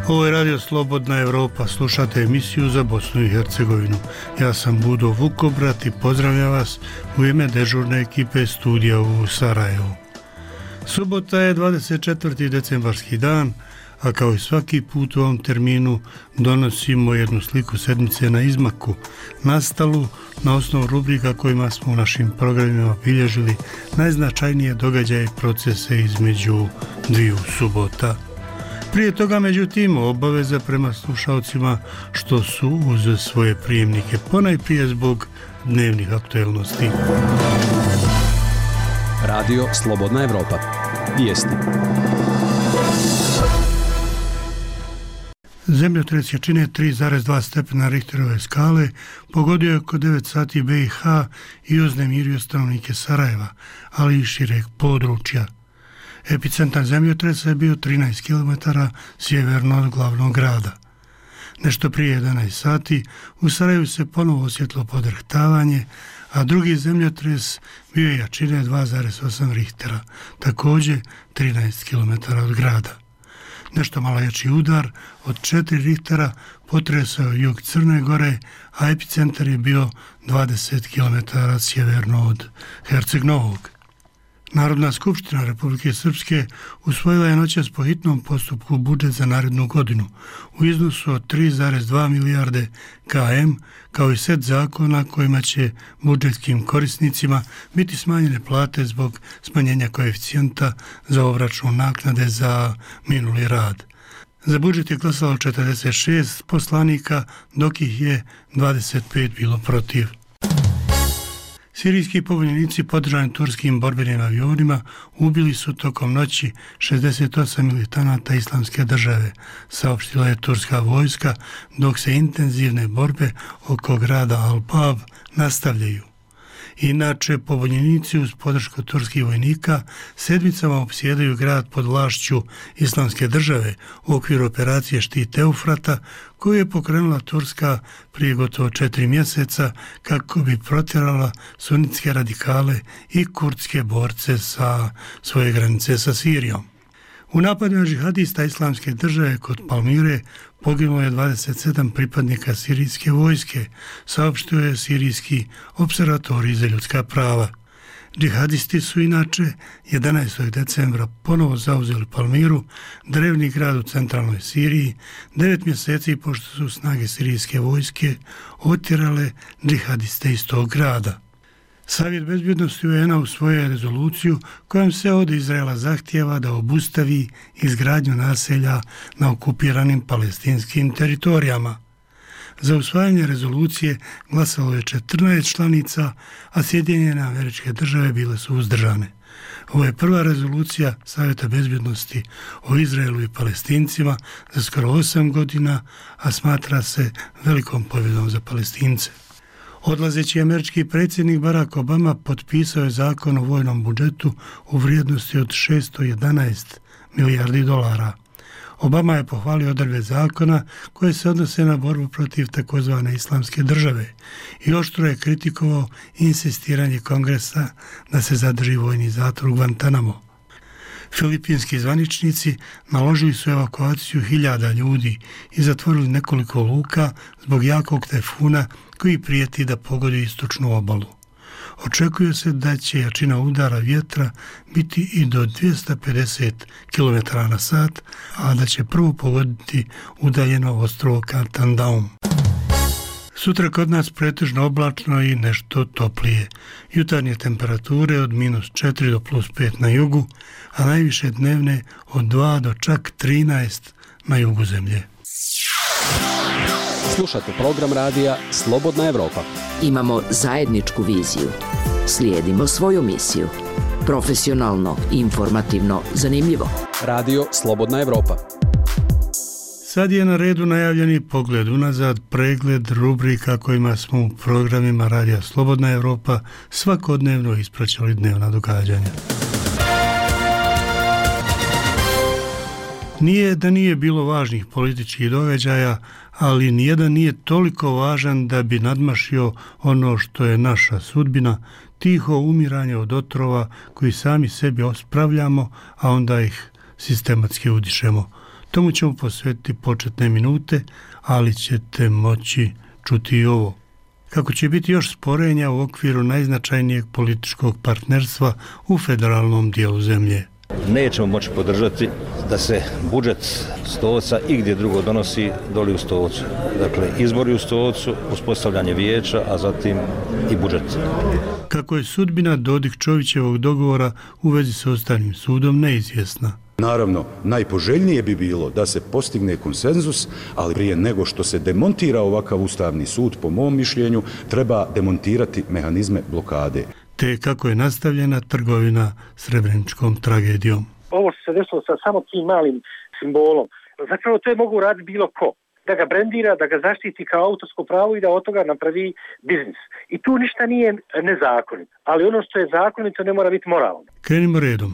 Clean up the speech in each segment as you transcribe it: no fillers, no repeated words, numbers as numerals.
Ovo je Radio Slobodna Evropa, slušate emisiju za Bosnu i Hercegovinu. Ja sam Budo Vukobrat i pozdravljam vas u ime dežurne ekipe studija u Sarajevu. Subota je 24. decembarski dan, a kao i svaki put u ovom terminu donosimo jednu sliku sedmice na izmaku, nastalu na osnovu rubrika kojima smo u našim programima bilježili najznačajnije događaje i procese između dviju subota. Prije toga, međutim, obaveza prema slušalcima što su uz svoje prijemnike, ponajprije zbog dnevnih aktuelnosti. Radio Slobodna Evropa. Vijesti. Zemljotres jačine 3,2 stepena Richterove skale pogodio je oko 9 sati BiH i uznemirio stanovnike Sarajeva, ali i šireg područja. Epicentar zemljotresa je bio 13 km sjeverno od glavnog grada. Nešto prije 11 sati u Sarajevu se ponovo osjetilo podrhtavanje, a drugi zemljotres bio je jačine 2,8 Richtera, također 13 km od grada. Nešto malo jači udar od 4 Richtera potresao jug Crne Gore, a epicentar je bio 20 km sjeverno od Herceg Novog. Narodna skupština Republike Srpske usvojila je noćas po hitnom postupku budžet za narednu godinu u iznosu od 3,2 milijarde km, kao i set zakona kojima će budžetskim korisnicima biti smanjene plate zbog smanjenja koeficijenta za obračun naknade za minuli rad. Za budžet je glasalo 46 poslanika, dok ih je 25 bilo protiv. Sirijski pobunjenici podržani turskim borbenim avionima ubili su tokom noći 68 militanata Islamske države, saopštila je turska vojska, dok se intenzivne borbe oko grada Al-Bab nastavljaju. Inače, pobunjenici uz podršku turskih vojnika sedmicama opsjedaju grad pod vlašću Islamske države u okviru operacije Štit Eufrata, koju je pokrenula Turska prije gotovo 4 mjeseca kako bi protjerala sunitske radikale i kurdske borce sa svoje granice sa Sirijom. U napadima džihadista Islamske države kod Palmire poginulo je 27 pripadnika sirijske vojske, saopštio je Sirijski observatorij za ljudska prava. Džihadisti su inače 11. decembra ponovo zauzeli Palmiru, drevni grad u centralnoj Siriji, 9 mjeseci pošto su snage sirijske vojske otjerale džihadiste iz tog grada. Savjet bezbjednosti UN-a usvojio je rezoluciju kojom se od Izraela zahtijeva da obustavi izgradnju naselja na okupiranim palestinskim teritorijama. Za usvajanje rezolucije glasalo je 14 članica, a Sjedinjene Američke Države bile su uzdržane. Ovo je prva rezolucija Savjeta bezbjednosti o Izraelu i Palestincima za skoro 8 godina, a smatra se velikom pobjedom za Palestince. Odlazeći američki predsjednik Barack Obama potpisao je zakon o vojnom budžetu u vrijednosti od 611 milijardi dolara. Obama je pohvalio odredbe zakona koje se odnose na borbu protiv takozvane Islamske države i oštro je kritikovao insistiranje Kongresa da se zadrži vojni zatvor u Guantanamo. Filipinski zvaničnici naložili su evakuaciju 1000 ljudi i zatvorili nekoliko luka zbog jakog tajfuna koji prijeti da pogodi istočnu obalu. Očekuje se da će jačina udara vjetra biti i do 250 km na sat, a da će prvo pogoditi udaljeno ostrvo Catandaum. Sutra kod nas pretežno oblačno i nešto toplije. Jutarnje temperature od -4 do +5 na jugu, a najviše dnevne od 2 do čak 13 na jugu zemlje. Slušate program radija Slobodna Evropa. Imamo zajedničku viziju. Slijedimo svoju misiju. Profesionalno, informativno, zanimljivo. Radio Slobodna Evropa. Sad je na redu najavljeni pogled unazad, pregled rubrika kojima smo u programima Radija Slobodna Evropa svakodnevno ispraćali dnevna događanja. Nije da nije bilo važnih političkih događaja, ali nijedan nije toliko važan da bi nadmašio ono što je naša sudbina, tiho umiranje od otrova koji sami sebi ospravljamo, a onda ih sistematski udišemo. Tomu ćemo posvetiti početne minute, ali ćete moći čuti i ovo. Kako će biti još sporenja u okviru najznačajnijeg političkog partnerstva u federalnom dijelu zemlje. Nećemo moći podržati da se budžet Stolca i gdje drugo donosi doli u Stolcu. Dakle, izbori u Stolcu, uspostavljanje vijeća, a zatim i budžet. Kako je sudbina Dodik-Čovićevog dogovora u vezi sa Ustavnim sudom neizvjesna. Naravno, najpoželjnije bi bilo da se postigne konsenzus, ali prije nego što se demontira ovakav Ustavni sud, po mom mišljenju, treba demontirati mehanizme blokade. Te kako je nastavljena trgovina Srebreničkom tragedijom. Ovo što se desilo sa samo tim malim simbolom, zapravo to je mogu raditi bilo ko. Da ga brendira, da ga zaštiti kao autorsko pravo i da od toga napravi biznis. I tu ništa nije nezakonito, ali ono što je zakonito ne mora biti moralno. Krenimo redom.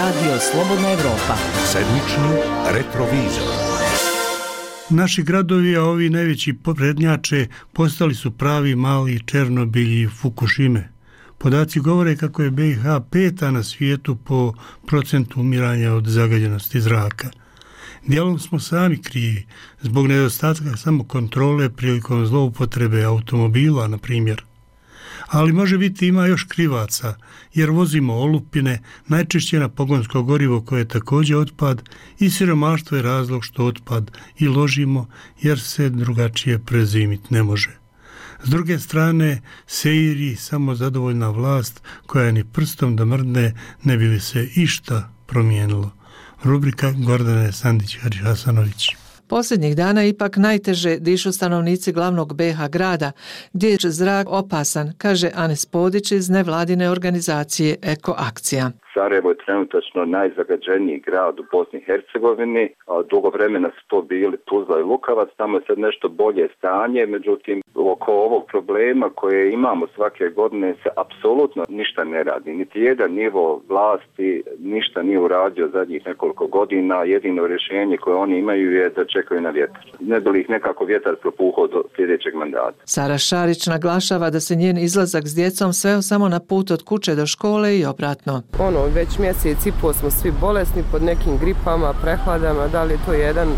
Radio Slobodna Evropa. Sedmični retrovizor. Naši gradovi, a ovi najveći prednjače, postali su pravi mali Černobilj i Fukušime. Podaci govore kako je BiH 5. na svijetu po procentu umiranja od zagađenosti zraka. Dijelom smo sami krivi, zbog nedostatka samokontrole prilikom zloupotrebe automobila, na primjer. Ali može biti ima još krivaca, jer vozimo olupine, najčešće na pogonsko gorivo koje je također otpad, i siromaštvo je razlog što otpad i ložimo, jer se drugačije prezimiti ne može. S druge strane, seiri samo zadovoljna vlast koja ni prstom da mrdne ne bi li se išta promijenilo. Rubrika Gordane Sandić-Hasanović. Posljednjih dana ipak najteže dišu stanovnici glavnog BiH grada, gdje je zrak opasan, kaže Anes Podić iz nevladine organizacije Eko Akcija. Sarajevo je trenutačno najzagađeniji grad u Bosni i Hercegovini, a dugo vremena su to bili Tuzla i Lukavac, tamo je sad nešto bolje stanje, međutim oko ovog problema koje imamo svake godine se apsolutno ništa ne radi. Niti jedan nivo vlasti ništa nije uradio zadnjih nekoliko godina, jedino rješenje koje oni imaju je da čekaju na vjetar. Ne bi li ih nekako vjetar propuhao do sljedećeg mandata. Sara Šarić naglašava da se njen izlazak s djecom sveo samo na put od kuće do škole i obratno. Već mjesec i pol smo svi bolesni pod nekim gripama, prehladama, da li je to jedan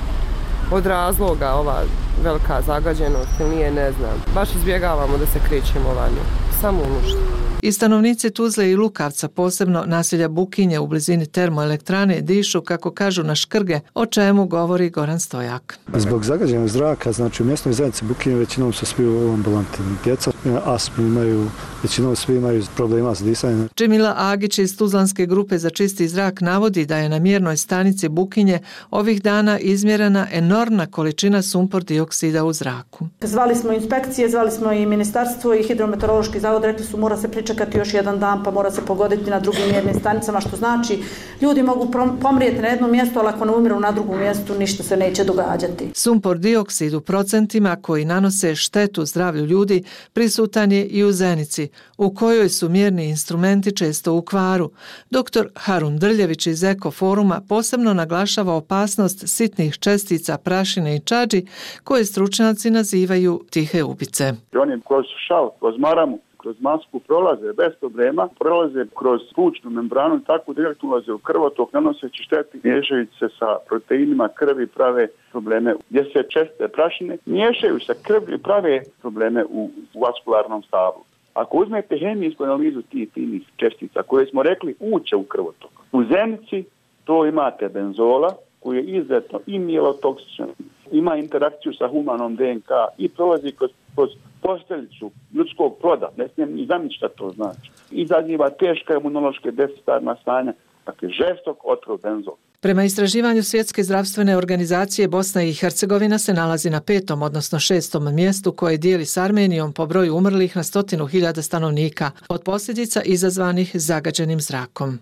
od razloga ova velika zagađenost ili nije, ne znam. Baš izbjegavamo da se krećemo vani, samo u nuždu. I stanovnici Tuzle i Lukavca, posebno naselja Bukinje u blizini termoelektrane, dišu, kako kažu, na škrge, o čemu govori Goran Stojak. Zbog zagađenog zraka, znači u mjesnoj zajednici Bukinje većinom su svi u ambulanti. Djeca astmu imaju, većinom svi imaju problema s disanjem. Džemila Agić iz Tuzlanske grupe za čisti zrak navodi da je na mjernoj stanici Bukinje ovih dana izmjerena enormna količina sumpor dioksida u zraku. Zvali smo inspekcije, zvali smo i ministarstvo i hidrometeorološki zavod, rekli su mora se pričekati još jedan dan pa mora se pogoditi na drugim mjernim stanicama, što znači ljudi mogu pomrijeti na jednom mjestu, ali ako ne umiru na drugom mjestu ništa se neće događati. Sumpor dioksid u procentima koji nanose štetu zdravlju ljudi prisutan je i u Zenici, u kojoj su mjerni instrumenti često u kvaru. Dr. Harun Drljević iz Eko Foruma posebno naglašava opasnost sitnih čestica prašine i čađi koje stručnjaci nazivaju tihe ubice. Oni kroz šal, kroz maramu, kroz masku prolaze bez problema, prolaze kroz plućnu membranu i tako direktno ulaze u krvotok, nanoseći šteti, miješajući se sa proteinima krvi, prave probleme. Gdje se česte prašine miješaju sa krvlju i prave probleme u vaskularnom stavu. Ako uzmete hemijsku analizu tih finih čestica koje smo rekli uče u krvotok, u Zenici to imate benzola koji je izuzetno i mielotoksičan, ima interakciju sa humanom DNK i prolazi kroz posteljicu ljudskog ploda, ne smijem ni zamisliti šta to znači. Izaziva teška imunološke deficitarna stanja, dakle žestok otrov benzol. Prema istraživanju Svjetske zdravstvene organizacije, Bosna i Hercegovina se nalazi na 5. odnosno 6. mjestu koje dijeli s Armenijom po broju umrlih na 100.000 stanovnika od posljedica izazvanih zagađenim zrakom.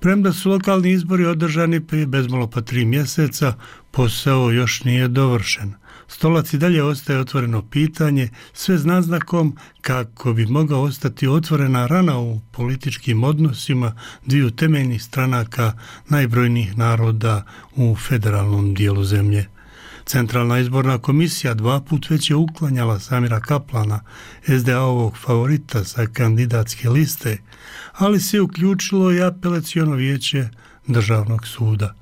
Premda su lokalni izbori održani prije bezmalo pa 3 mjeseca, posao još nije dovršen. Stolac i dalje ostaje otvoreno pitanje, sve s naznakom kako bi mogao ostati otvorena rana u političkim odnosima dviju temeljnih stranaka najbrojnijih naroda u federalnom dijelu zemlje. Centralna izborna komisija 2 put već je uklanjala Samira Kaplana, SDA-ovog favorita sa kandidatske liste, ali se uključilo i apelaciono vijeće državnog suda.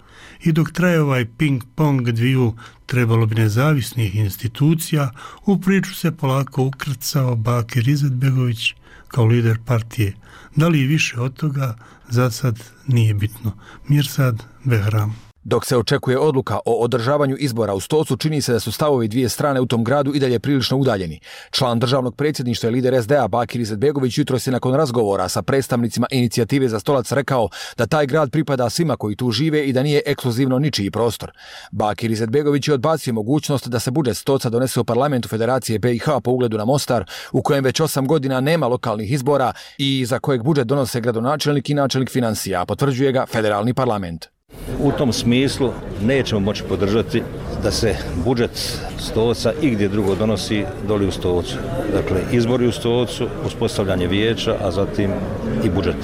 I dok traje ovaj ping-pong dviju trebalo bi nezavisnih institucija, u priču se polako ukrcao Bakir Izetbegović kao lider partije. Da li i više od toga, za sad nije bitno. Mirsad Behram. Dok se očekuje odluka o održavanju izbora u Stocu, čini se da su stavovi dvije strane u tom gradu i dalje prilično udaljeni. Član državnog predsjedništva i lider SDA Bakir Izetbegović jutros je nakon razgovora sa predstavnicima inicijative za Stolac rekao da taj grad pripada svima koji tu žive i da nije ekskluzivno ničiji prostor. Bakir Izetbegović je odbacio mogućnost da se budžet Stoca donese u parlamentu Federacije BiH po ugledu na Mostar, u kojem već 8 godina nema lokalnih izbora i za kojeg budžet donose gradonačelnik i načelnik financija, a potvrđuje ga federalni parlament. U tom smislu nećemo moći podržati da se budžet Stoca i gdje drugo donosi doli u Stocu. Dakle, izbori u Stocu, uspostavljanje vijeća, a zatim i budžet.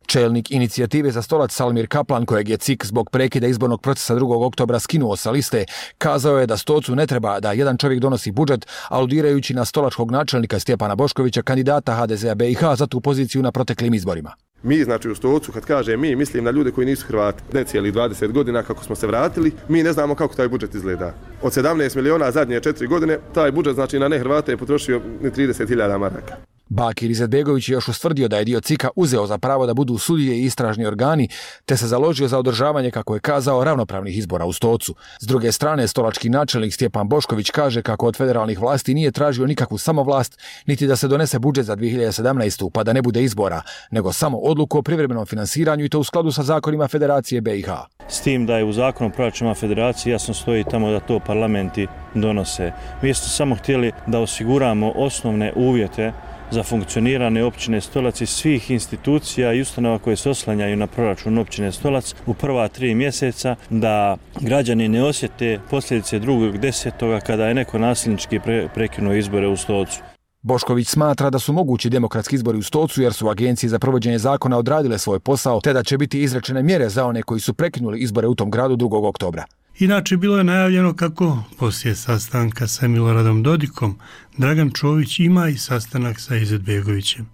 Čelnik inicijative za Stolac Salmir Kaplan, kojeg je CIK zbog prekida izbornog procesa 2. oktobra skinuo sa liste, kazao je da Stocu ne treba da jedan čovjek donosi budžet, aludirajući na stolačkog načelnika Stjepana Boškovića, kandidata HDZ-a BiH za tu poziciju na proteklim izborima. Mi, znači u Stocu, kad kažem mi, mislim na ljude koji nisu Hrvati. Ne cijeli 20 godina kako smo se vratili, mi ne znamo kako taj budžet izgleda. Od 17 miliona zadnje 4 godine, taj budžet znači na ne Hrvate je potrošio 30.000 maraka. Bakir Izetbegović je još ustvrdio da je dio CIK-a uzeo za pravo da budu sudije i istražni organi, te se založio za održavanje, kako je kazao, ravnopravnih izbora u Stocu. S druge strane, stolački načelnik Stjepan Bošković kaže kako od federalnih vlasti nije tražio nikakvu samovlast, niti da se donese budžet za 2017. pa da ne bude izbora, nego samo odluku o privremenom finansiranju i to u skladu sa zakonima Federacije BiH. S tim da je u zakonu o proračunima Federacije jasno stoji tamo da to parlamenti donose. Mi smo samo htjeli da osiguramo osnovne uvjete za funkcioniranje općine Stolac i svih institucija i ustanova koje se oslanjaju na proračun općine Stolac u prva 3 mjeseca, da građani ne osjete posljedice 2.10. kada je neko nasilnički prekinuo izbore u Stocu. Bošković smatra da su mogući demokratski izbori u Stocu jer su agencije za provođenje zakona odradile svoj posao, te da će biti izrečene mjere za one koji su prekinuli izbore u tom gradu 2. oktobra. Inače, bilo je najavljeno kako poslije sastanka sa Miloradom Dodikom Dragan Čović ima i sastanak sa Izetbegovićem.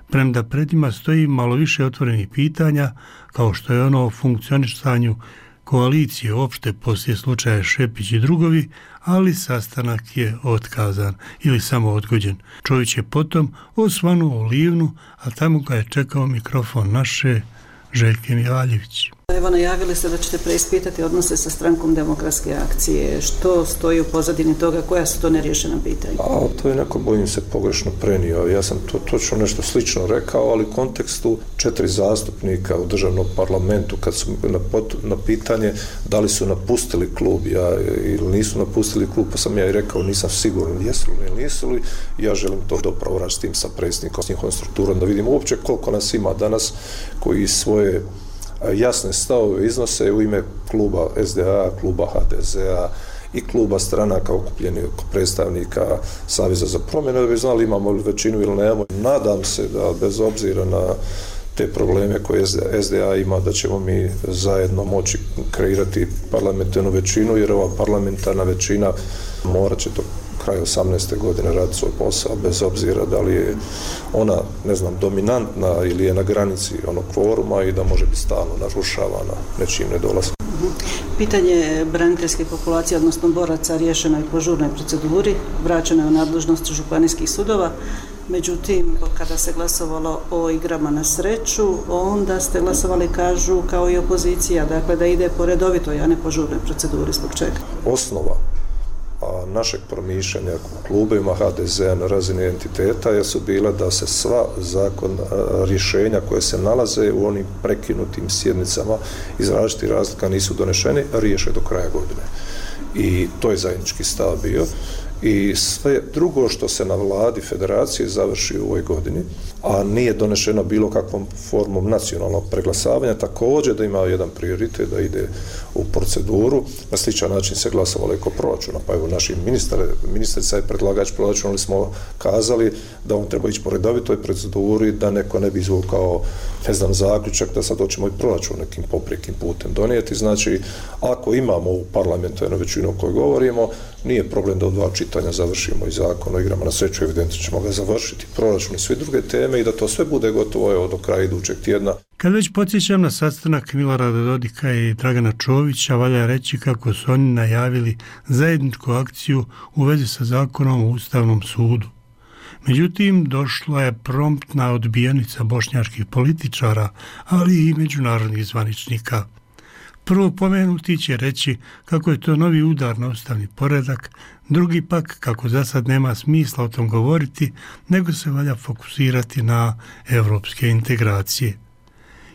Premda pred njima stoji malo više otvorenih pitanja, kao što je ono o funkcionisanju koalicije uopšte poslije slučaja Šepić i drugovi, ali sastanak je otkazan ili samo odgođen. Čović je potom osvanuo u Livnu, a tamo ga je čekao mikrofon naše Željke Mivaljević. Evo, najavili ste da ćete preispitati odnose sa strankom Demokratske akcije. Što stoji u pozadini toga? Koja su to neriješena pitanja? To je neko, bojim se, pogrešno prenio. Ja sam to točno nešto slično rekao, ali u kontekstu 4 zastupnika u državnom parlamentu, kad su na pitanje da li su napustili klub ili nisu napustili klub, pa sam ja i rekao nisam siguran jesu li ili nisu li. Ja želim to dobro raditi s tim, sa predsjednikom, s njihovom strukturom, da vidimo uopće koliko nas ima danas koji svoje jasne stavove iznose u ime kluba SDA, kluba HDZ-a i kluba stranaka okupljenih predstavnika Saveza za promjene, da bi znali imamo li većinu ili nemamo. Nadam se da bez obzira na te probleme koje SDA ima, da ćemo mi zajedno moći kreirati parlamentarnu većinu, jer ova parlamentarna većina morat će do kraja 18. godine raditi svoj posao, bez obzira da li je ona, dominantna ili je na granici onog kvoruma i da može biti stalno narušavana nečim nedolaskom. Pitanje braniteljske populacije, odnosno boraca, riješeno je po žurnoj proceduri, vraćeno je u nadležnost županijskih sudova. Međutim, kada se glasovalo o igrama na sreću, onda ste glasovali, kažu, kao i opozicija, dakle da ide po redovitoj, a ne po žurnoj proceduri. Zbog čega? Osnova našeg promišljanja u klubima HDZ-a na razini entiteta su bila da se sva rješenja koje se nalaze u onim prekinutim sjednicama iz različitih razlika nisu donešeni, riješe do kraja godine. I to je zajednički stav bio. I sve drugo što se na vladi federacije završi u ovoj godini, a nije donešeno bilo kakvom formom nacionalnog preglasavanja, također da ima jedan prioritet da ide u proceduru. Na sličan način se glasovalo oko proračuna, pa evo naši ministrica je predlagač proračuna, ali smo kazali da on treba ići po redovitoj proceduri, da neko ne bi izvukao zaključak da sad hoćemo i proračun nekim poprijekim putem donijeti. Znači, ako imamo u parlamentarnu većinu o kojoj govorimo, nije problem da u 2 čitanja završimo i zakon o igrama na sreću, evidentno ćemo ga završiti, proračun i sve druge teme i da to sve bude gotovo do kraja idućeg tjedna. Kad već podsjećam na sastanak Milorada Dodika i Dragana Čovića, valja reći kako su oni najavili zajedničku akciju u vezi sa zakonom o Ustavnom sudu. Međutim, došla je promptna odbijenica bošnjačkih političara, ali i međunarodnih zvaničnika. Prvo pomenuti će reći kako je to novi udar na ustavni poredak, drugi pak kako za sad nema smisla o tom govoriti, nego se valja fokusirati na evropske integracije.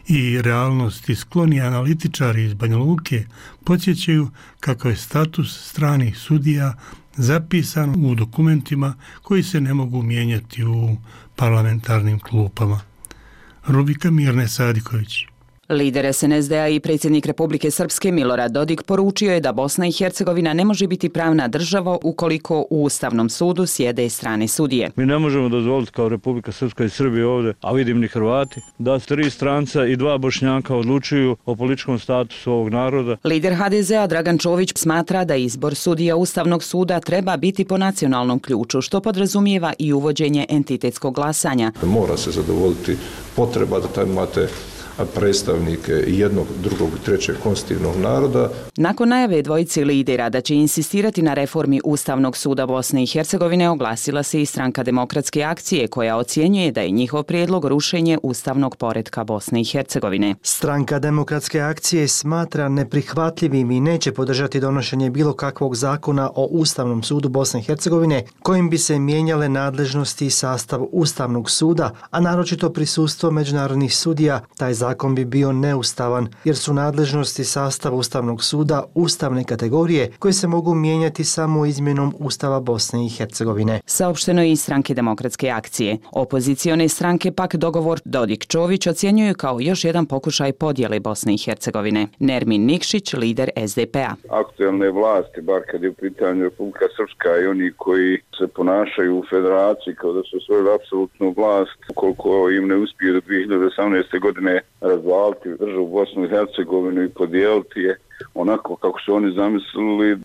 I realnosti skloni analitičari iz Banja Luke podsjećaju kako je status stranih sudija zapisan u dokumentima koji se ne mogu mijenjati u parlamentarnim klupama. Rubika Mirne Sadiković. Lider SNSD-a i predsjednik Republike Srpske Milorad Dodik poručio je da Bosna i Hercegovina ne može biti pravna država ukoliko u Ustavnom sudu sjede strane sudije. Mi ne možemo dozvoliti kao Republika Srpska i Srbije ovdje, a vidim ni Hrvati, da 3 stranca i 2 Bošnjaka odlučuju o političkom statusu ovog naroda. Lider HDZ-a Dragan Čović smatra da izbor sudija Ustavnog suda treba biti po nacionalnom ključu, što podrazumijeva i uvođenje entitetskog glasanja. Mora se zadovoljiti potreba da tamo imate predstavnike jednog, drugog i trećeg konstitutivnog naroda. Nakon najave dvojici lidera da će insistirati na reformi Ustavnog suda Bosne i Hercegovine, oglasila se i Stranka demokratske akcije, koja ocjenjuje da je njihov prijedlog rušenje ustavnog poretka Bosne i Hercegovine. Stranka demokratske akcije smatra neprihvatljivim i neće podržati donošenje bilo kakvog zakona o Ustavnom sudu Bosne i Hercegovine kojim bi se mijenjale nadležnosti i sastav Ustavnog suda, a naročito prisustvo međunarodnih sudija. Taj zakon bi bio neustavan jer su nadležnosti sastava Ustavnog suda ustavne kategorije koje se mogu mijenjati samo izmjenom Ustava Bosne i Hercegovine. Saopšteno je i Stranke demokratske akcije. Opozicione stranke pak dogovor Dodik-Čović ocjenjuju kao još jedan pokušaj podjele Bosne i Hercegovine. Nermin Nikšić, lider SDP-a. Aktualne vlasti, bar kad je u pitanju Republika Srpska i oni koji se ponašaju u federaciji kao da su osvojili apsolutnu vlast, ukoliko im ne uspiju do 2018. godine razvaliti državu Bosnu i Hercegovinu i podijeliti je onako kako su oni zamislili,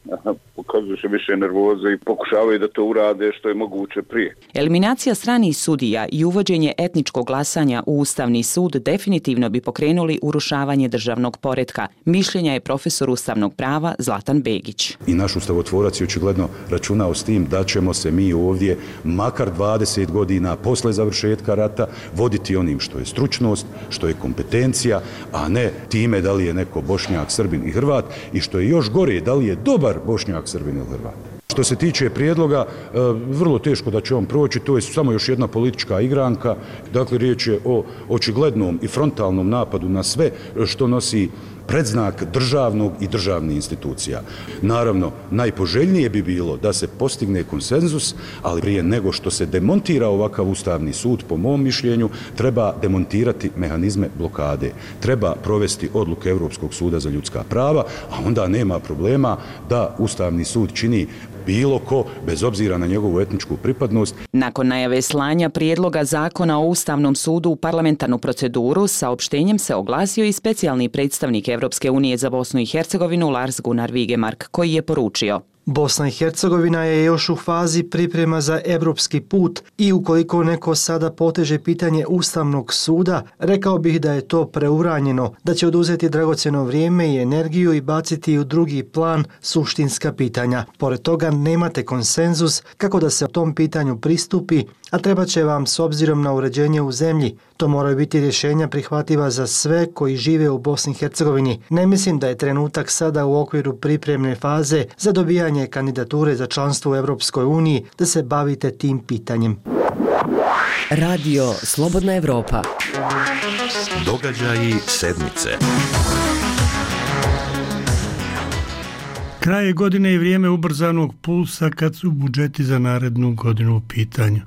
pokazuju se više nervoze i pokušavaju da to urade što je moguće prije. Eliminacija stranih sudija i uvođenje etničkog glasanja u Ustavni sud definitivno bi pokrenuli urušavanje državnog poretka. Mišljenja je profesor ustavnog prava Zlatan Begić. I naš ustavotvorac je očigledno računao s tim da ćemo se mi ovdje makar 20 godina posle završetka rata voditi onim što je stručnost, što je kompetencija, a ne time da li je neko Bošnjak, Srbin i Hrvat i što je još gore, da li je dobar Bošnjak, Srbin ili Hrvat. Što se tiče prijedloga, vrlo teško da će on proći, to je samo još jedna politička igranka, dakle riječ je o očiglednom i frontalnom napadu na sve što nosi predznak državnog i državnih institucija. Naravno, najpoželjnije bi bilo da se postigne konsenzus, ali prije nego što se demontira ovakav Ustavni sud, po mom mišljenju, treba demontirati mehanizme blokade. Treba provesti odluke Europskog suda za ljudska prava, a onda nema problema da Ustavni sud čini bilo ko, bez obzira na njegovu etničku pripadnost. Nakon najave slanja prijedloga zakona o Ustavnom sudu u parlamentarnu proceduru, saopštenjem se oglasio i specijalni predstavnik Evropske unije za Bosnu i Hercegovinu Lars Gunnar Vigemark, koji je poručio: Bosna i Hercegovina je još u fazi priprema za evropski put i ukoliko neko sada poteže pitanje Ustavnog suda, rekao bih da je to preuranjeno, da će oduzeti dragocjeno vrijeme i energiju i baciti u drugi plan suštinska pitanja. Pored toga nemate konsenzus kako da se o tom pitanju pristupi, a treba će vam s obzirom na uređenje u zemlji. To moraju biti rješenja prihvatljiva za sve koji žive u Bosni i Hercegovini. Ne mislim da je trenutak sada u okviru pripremne faze za dobijanje kandidature za članstvo u Evropskoj uniji da se bavite tim pitanjem. Radio Slobodna Evropa. Događaji sedmice. Kraj godine i vrijeme ubrzanog pulsa kad su budžeti za narednu godinu u pitanju.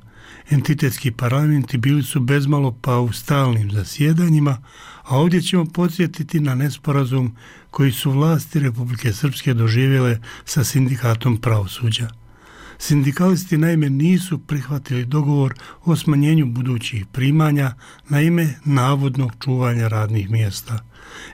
Entitetski parlamenti bili su bezmalo pa u stalnim zasjedanjima, a ovdje ćemo podsjetiti na nesporazum koji su vlasti Republike Srpske doživjele sa sindikatom pravosuđa. Sindikalisti naime nisu prihvatili dogovor o smanjenju budućih primanja na ime navodnog čuvanja radnih mjesta.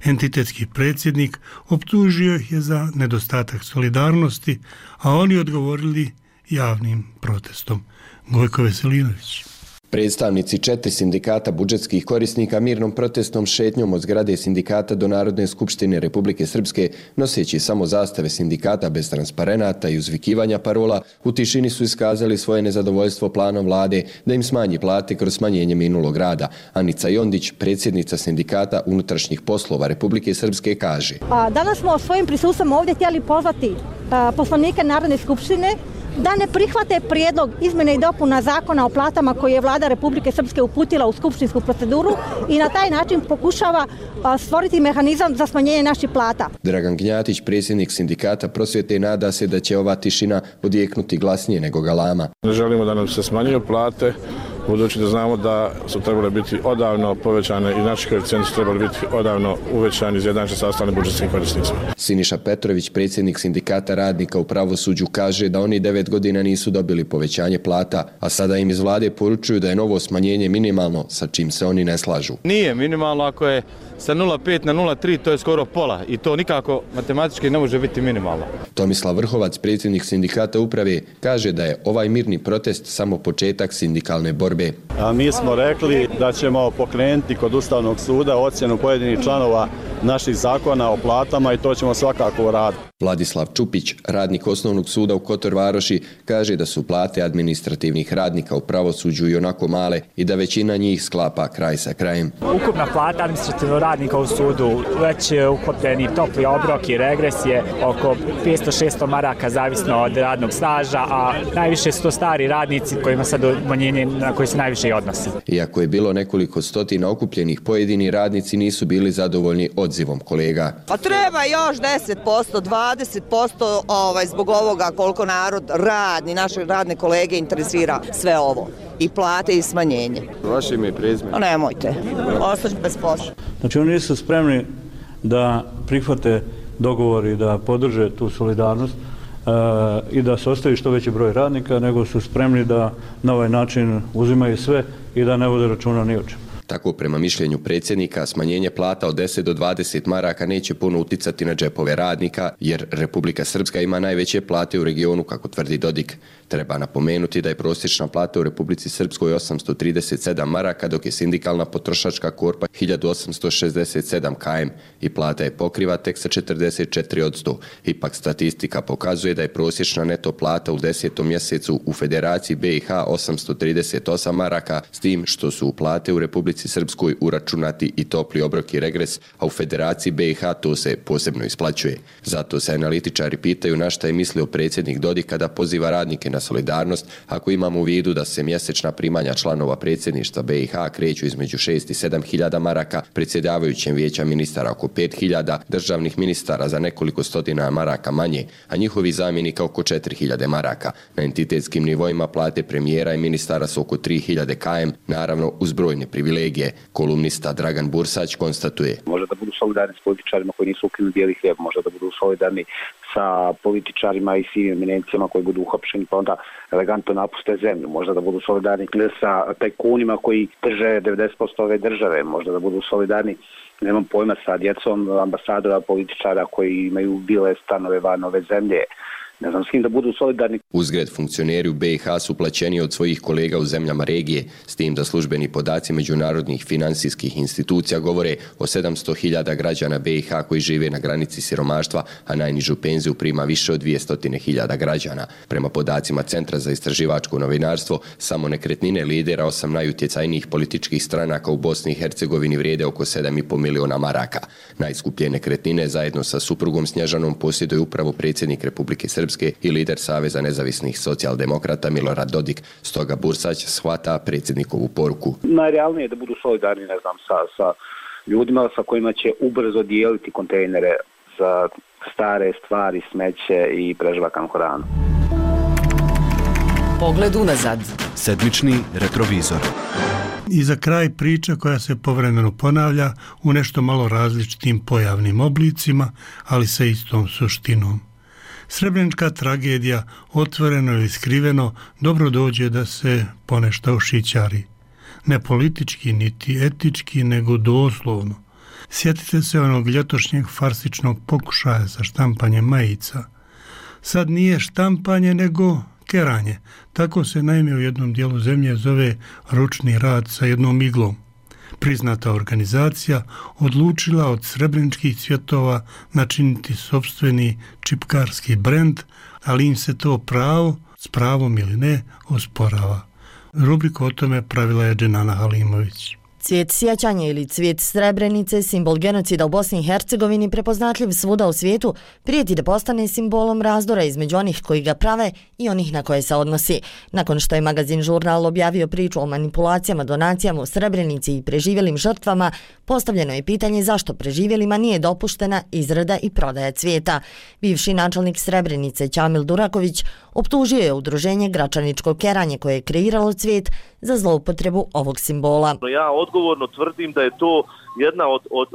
Entitetski predsjednik optužio ih je za nedostatak solidarnosti, a oni odgovorili javnim protestom. Gojko Veselinović. Predstavnici 4 sindikata budžetskih korisnika mirnom protestnom šetnjom od zgrade sindikata do Narodne skupštine Republike Srpske, noseći samo zastave sindikata bez transparenata i uzvikivanja parola, u tišini su iskazali svoje nezadovoljstvo planom vlade da im smanji plate kroz smanjenje minulog rada. Anica Jondić, predsjednica sindikata unutrašnjih poslova Republike Srpske, kaže: Danas smo svojim prisustvom ovdje htjeli pozvati poslanike Narodne skupštine da ne prihvate prijedlog izmjene i dopuna zakona o platama koji je vlada Republike Srpske uputila u skupštinsku proceduru i na taj način pokušava stvoriti mehanizam za smanjenje naših plata. Dragan Gnjatić, predsjednik sindikata prosvjete, nada se da će ova tišina odjeknuti glasnije nego galama. Ne želimo da nam se smanjuju plate, budući da znamo da su trebale biti odavno povećane i naši koeficijenti su trebali biti odavno uvećani izjednačeni sa ostalim budžetskim korisnicima. Siniša Petrović, predsjednik sindikata radnika u pravosuđu, kaže da oni 9 godina nisu dobili povećanje plata, a sada im iz vlade poručuju da je novo smanjenje minimalno, sa čim se oni ne slažu. Nije minimalno, ako je sa 0,5 na 0,3, to je skoro pola i to nikako matematički ne može biti minimalno. Tomislav Vrhovac, predsjednik sindikata uprave, kaže da je ovaj mirni protest samo početak sindikalne borbe. A mi smo rekli da ćemo pokrenuti kod Ustavnog suda ocjenu pojedinih članova naših zakona o platama i to ćemo svakako uraditi. Vladislav Čupić, radnik Osnovnog suda u Kotor Varoši, kaže da su plate administrativnih radnika u pravosuđu i onako male i da većina njih sklapa kraj sa krajem. Ukupna plata administrativnog radnika u sudu, već uklopljeni topli obrok i regres je oko 500-600 maraka zavisno od radnog staža, a najviše su to stari radnici kojima sad umanjenje na koji se najviše i odnosi. Iako je bilo nekoliko stotina okupljenih, pojedini radnici nisu bili zadovoljni odzivom kolega. Pa treba još 10%, 20% zbog ovoga koliko narod radni, naše radne kolege interesira sve ovo. I plate i smanjenje. Vaše ime i prezime? Nemojte, ostać bez posla. Znači oni nisu spremni da prihvate dogovor i da podrže tu solidarnost i da se ostavi što veći broj radnika, nego su spremni da na ovaj način uzimaju sve i da ne vode računa ni o čemu. Tako, prema mišljenju predsjednika, smanjenje plata od 10 do 20 maraka neće puno uticati na džepove radnika, jer Republika Srpska ima najveće plate u regionu, kako tvrdi Dodik. Treba napomenuti da je prosječna plata u Republici Srpskoj 837 maraka, dok je sindikalna potrošačka korpa 1867 km i plata je pokriva tek sa 44%. Ipak statistika pokazuje da je prosječna neto plata u 10. mjesecu u Federaciji BiH 838 maraka, s tim što su u plate u Republici Srpskoj uračunati i topli obrok i regres, a u Federaciji BiH to se posebno isplaćuje. Zato se analitičari pitaju na šta je mislio predsjednik Dodik kada poziva radnike na solidarnost, ako imamo u vidu da se mjesečna primanja članova predsjedništva BiH kreću između 6 i 7 hiljada maraka, predsjedavajućem vijeća ministara oko 5 hiljada, državnih ministara za nekoliko stotina maraka manje, a njihovi zamjenika oko 4 hiljade maraka. Na entitetskim nivoima plate premijera i ministara su oko 3 hiljade km, naravno uz brojne privilegije. Kolumnista Dragan Bursać konstatuje: Može da budu solidarni s političarima koji nisu ukinuli bijeli hljeb, može da budu solidarni sa političarima i sivim eminencijama koji budu uhapšeni pa onda elegantno napuste zemlju, možda da budu solidarni sa tajkunima koji drže 90% ove države, možda da budu solidarni, nemam pojma, sa djecom ambasadora, političara koji imaju bile stanove van ove zemlje. Ne znam s kim da budu solidarni. Uzgred, funkcioneri u BiH su plaćeni od svojih kolega u zemljama regije, s tim da službeni podaci međunarodnih finansijskih institucija govore o 700.000 građana BiH koji žive na granici siromaštva, a najnižu penziju prima više od 200.000 građana. Prema podacima Centra za istraživačko novinarstvo, samo nekretnine lidera 8 najutjecajnijih političkih stranaka u Bosni i Hercegovini vrijede oko 7,5 miliona maraka. Najskuplje nekretnine zajedno sa suprugom Snježanom posjeduje upravo predsjednik Republike Srpske i lider Saveza nezavisnih socijaldemokrata Milorad Dodik. Stoga Bursać shvata predsjednikovu poruku. Najrealnije je da budu solidarni, ne znam, sa ljudima sa kojima će ubrzo dijeliti kontejnere za stare stvari, smeće i prežvakan hranu. Pogled unazad. Sedmični retrovizor. I za kraj priča koja se povremeno ponavlja u nešto malo različitim pojavnim oblicima, ali sa istom suštinom. Srebrenička tragedija, otvoreno ili skriveno, dobro dođe da se ponešto ušićari. Ne politički, niti etički, nego doslovno. Sjetite se onog ljetošnjeg farsičnog pokušaja za štampanje majica. Sad nije štampanje, nego keranje. Tako se naime u jednom dijelu zemlje zove ručni rad sa jednom iglom. Priznata organizacija odlučila od srebreničkih cvjetova načiniti sopstveni čipkarski brend, ali im se to pravo, s pravom ili ne, osporava. Rubriku o tome pravila je Dženana Halimović. Cvijet sjećanja ili cvijet Srebrenice, simbol genocida u Bosni i Hercegovini, prepoznatljiv svuda u svijetu, prijeti da postane simbolom razdora između onih koji ga prave i onih na koje se odnosi. Nakon što je magazin Žurnal objavio priču o manipulacijama, donacijama u Srebrenici i preživjelim žrtvama, postavljeno je pitanje zašto preživjelima nije dopuštena izrada i prodaja cvijeta. Bivši načelnik Srebrenice Ćamil Duraković optužio je udruženje Gračaničko keranje koje je kreiralo cvijet za zloupotrebu ovog simbola. Ja odgovorno tvrdim da je to jedna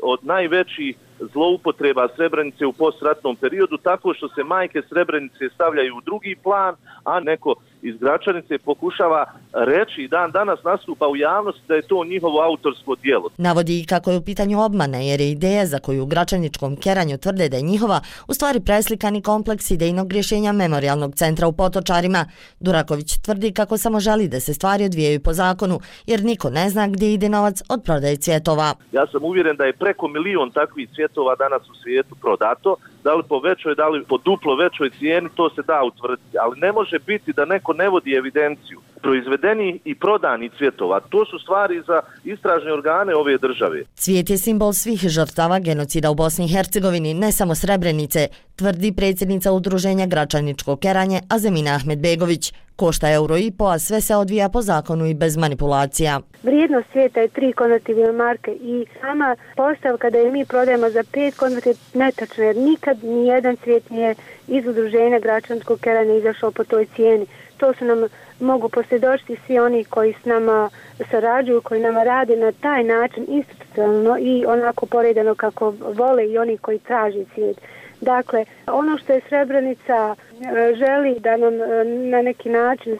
od najvećih zloupotreba Srebrenice u postratnom periodu, tako što se majke Srebrenice stavljaju u drugi plan, a neko iz Gračanice pokušava reći i dan danas nastupa u javnosti da je to njihovo autorsko djelo. Navodi i kako je u pitanju obmana, jer je ideja za koju u Gračaničkom keranju tvrde da je njihova, u stvari preslikani kompleks idejnog rješenja Memorijalnog centra u Potočarima. Duraković tvrdi kako samo želi da se stvari odvijaju po zakonu, jer niko ne zna gdje ide novac od prodaje cvjetova. Ja sam uvjeren da je preko 1 milion takvih cvjetova danas u svijetu prodato, da li po većoj, da li po duplo većoj cijeni, to se da utvrditi, ali ne može biti da neko ne vodi evidenciju proizvedeni i prodani cvjetova. To su stvari za istražne organe ove države. Cvijet je simbol svih žrtava genocida u Bosni i Hercegovini, ne samo Srebrenice, tvrdi predsjednica udruženja Gračaničko keranje Azemina Ahmedbegović. Košta €1,5, a sve se odvija po zakonu i bez manipulacija. Vrijednost cvijeta je 3 konvertibilne marke i sama postavka da je mi prodajemo za 5 konvertibilnih netačna, jer nikad nijedan cvijet nije iz udruženja Gračaničkog keranja izašao po toj cijeni. To su nam mogu posvjedočiti svi oni koji s nama sarađuju, koji nama rade na taj način institucionalno i onako poredano kako vole i oni koji traži cvijet. Dakle, ono što je Srebrenica želi da nam na neki način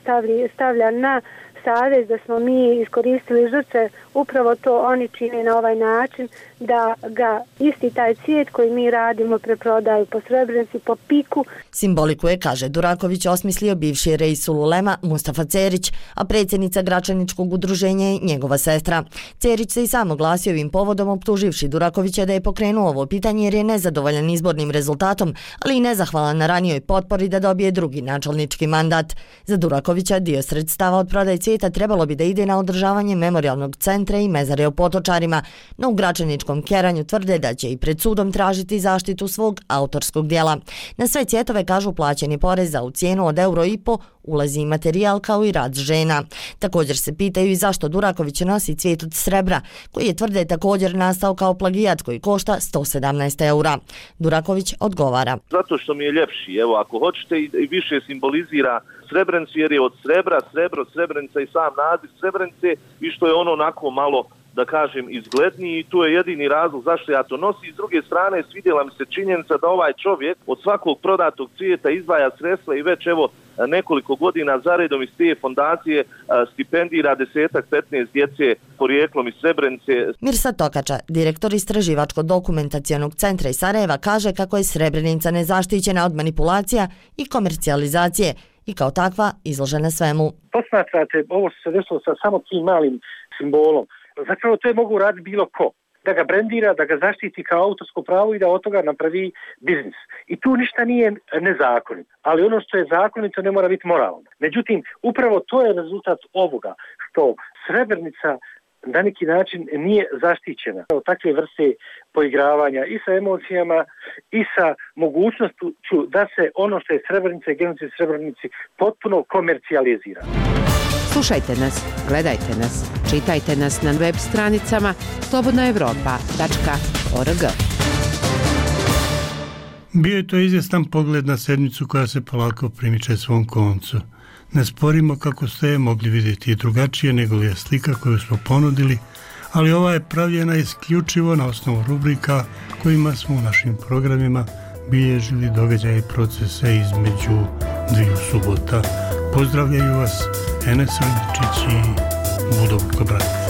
stavlja na savez da smo mi iskoristili žrtve, upravo to oni čine na ovaj način, da ga isti taj cvijet koji mi radimo preprodaju po Srebrenici, po piku. Simboliku je, kaže Duraković, osmislio bivši Reisul Ulema Mustafa Cerić, a predsjednica Gračaničkog udruženja je njegova sestra. Cerić se i sam oglasio ovim povodom, optuživši Durakovića da je pokrenuo ovo pitanje jer je nezadovoljan izbornim rezultatom, ali i nezahvalan na ranijoj potpori da dobije drugi načelnički mandat. Za Durakovića dio sredstava od prodaje cvijeta trebalo bi da ide na održavanje Memorijalnog centra i mezare u Potočarima, no u Gračaničkom keranju tvrde da će i pred sudom tražiti zaštitu svog autorskog dijela. Na sve cvjetove, kažu, plaćen je porez, a u cijenu od €1,5 ulazi i materijal kao i rad žena. Također se pitaju i zašto Duraković nosi cvijet od srebra, koji je, tvrde, također nastao kao plagijat koji košta €117. Duraković odgovara. Zato što mi je ljepši, evo ako hoćete i više simbolizira Srebrenicu jer je od srebra, srebro, Srebrenica i sam naziv Srebrenice i što je ono onako malo, da kažem, izgledniji i tu je jedini razlog zašto ja to nosim. S druge strane, svidjela mi se činjenica da ovaj čovjek od svakog prodatog cvijeta izdvaja sredstva i već evo nekoliko godina zaredom iz te fondacije stipendira 10-15 djece porijeklom iz Srebrenice. Mirsad Tokača, direktor Istraživačko-dokumentacionog centra iz Sarajeva, kaže kako je Srebrenica nezaštićena od manipulacija i komercijalizacije i kao takva izložena svemu. Posmatrate ovo što se desilo sa samo tim malim simbolom. Zapravo to je mogu raditi bilo ko. Da ga brendira, da ga zaštiti kao autorsko pravo i da od toga napravi biznis. I tu ništa nije nezakonito. Ali ono što je zakonito ne mora biti moralno. Međutim, upravo to je rezultat ovoga, što Srebrenica na neki način nije zaštićena od takve vrste poigravanja i sa emocijama i sa mogućnošću da se ono što je Srebrenica i genocid Srebrenici potpuno komercijalizira. Slušajte nas, gledajte nas, čitajte nas na web stranicama slobodnaevropa.org. Bio je to izvjestan pogled na sedmicu koja se polako primiče svom koncu. Ne sporimo kako ste je mogli vidjeti i drugačije nego li je slika koju smo ponudili, ali ova je pravljena isključivo na osnovu rubrika kojima smo u našim programima bilježili događaje i procese između dviju subota. Pozdravljaju vas Enes Andričić i Budovko Brat.